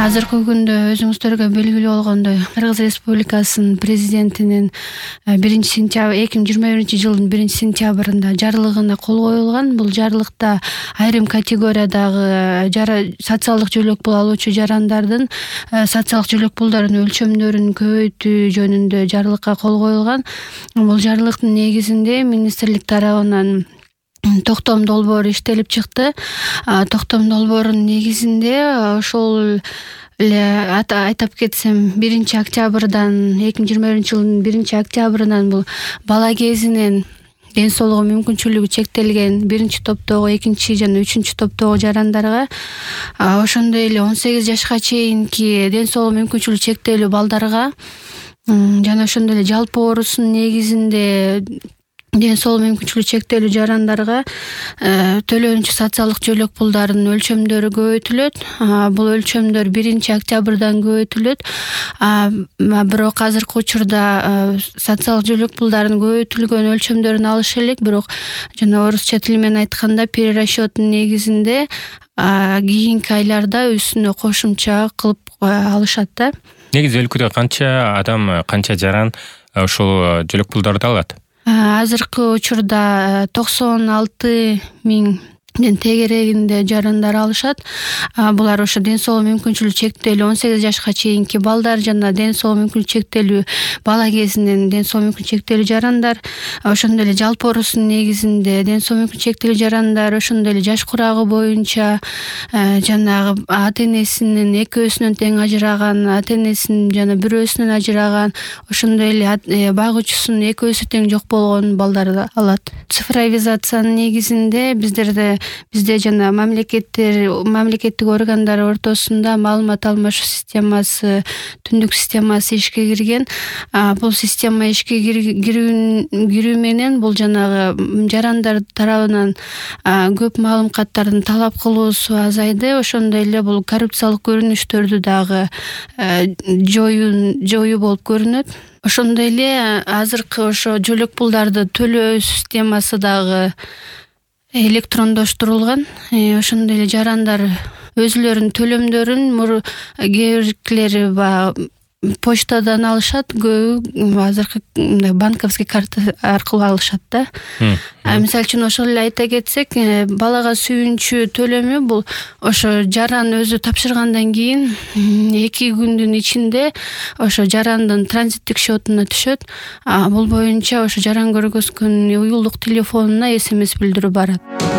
Азыркы күндө өзүңүздөргө белгилүү болгондой Кыргыз Республикасынын президентинин 2021 жылдын 1-сентябрында жарлыгына кол коюлган. Бул жарлыкта айрым категориядагы социалдык жөлөк пул алуучу жарандардын социалдык жөлөк пулдарын өлчөмдөрүн көбөйтүү жөнүндө жарлыкка кол коюлган. Бул жарлыктын негизинде министрлик тарабынан токтом долбоору иштелип чыкты. Токтом долбоорунун негизинде ошол эле айтып кетсем 1-октябрдан 2021 жылдын 1-октябрынан бул бала кезинен ден соолугу мүмкүнчүлүгү чектелген 1-топтогу, 2 жана 3 топтогу жарандарга, ошондой эле 18 жашка чейинки ден соолугу мүмкүнчүлүгү чектелүү балдарга жана ошондой эле жалпы оорусунун негизинде ден соолугу мүмкүнчүлүгү чектелүү жарандарга төлөнүүчү социалдык жөлөк пулдарынын өлчөмдөрү көбөйтүлөт. Бул өлчөмдөр 1-октябрдан көбөйтүлөт. Бирок азыркы учурда социалдык жөлөк пулдарынын көбөйтүлгөн өлчөмдөрүн алыш элек, бирок жана орусча тил менен айтканда перерасчёттун негизинде кийинки айларда үстүнө кошумча кылып алышат да. Негизи өлкөдө канча адам, канча жаран ошол жөлөк пулдарды алат? Азыркы учурда 96 миңден тегерегинде жарандар алышат. Булар ошо ден соолугу мүмкүнчүлүгү чектелүү 18 жашка чейинки балдар жана ден соолугу мүмкүнчүлүгү чектелүү бала кезинен ден соолугу мүмкүнчүлүгү чектелүү жарандар, ошондой эле жалпы оорусунун негизинде ден соолугу мүмкүнчүлүгү чектелүү жарандар, ошондой эле жаш курагы боюнча жанагы ата-энесинин экөөсүнөн тең ажыраган, ата-энесинин жана бирөөсүнөн ажыраган, ошондой эле багуучусунун экөөсү тең жок болгон балдарды алат. Цифровизациянын негизинде бизде жана мамлекеттик органдар ортосунда маалымат алмашуу системасы, түндүк системасы ишке кирген. Бул система ишке кирүү менен бул жанагы жарандар тарабынан көп маалыматтардын талап кылуусу азайды. Ошондой эле бул коррупциялык көрүнүштөрдү дагы жоюу болуп көрүнөт. Ошондой эле азыркы ошо жөлөк пулдарды төлөө системасы дагы электрондоштурулган. Ошондой эле жарандар өзүлөрүнүн төлөмдөрүн кээ биркилери почтадан алышат, көбү азыркы банковский карта аркылуу алышат да. Мисалы үчүн ошол эле айта кетсек, балага сүйүнчү төлөмү бул ошо жаран өзү тапшыргандан кийин 2 күндүн ичинде ошо жарандын транзиттик счетуна түшөт. Бул боюнча ошо жаран көргөзгөн уюлдук телефонуна SMS билдирүү барат.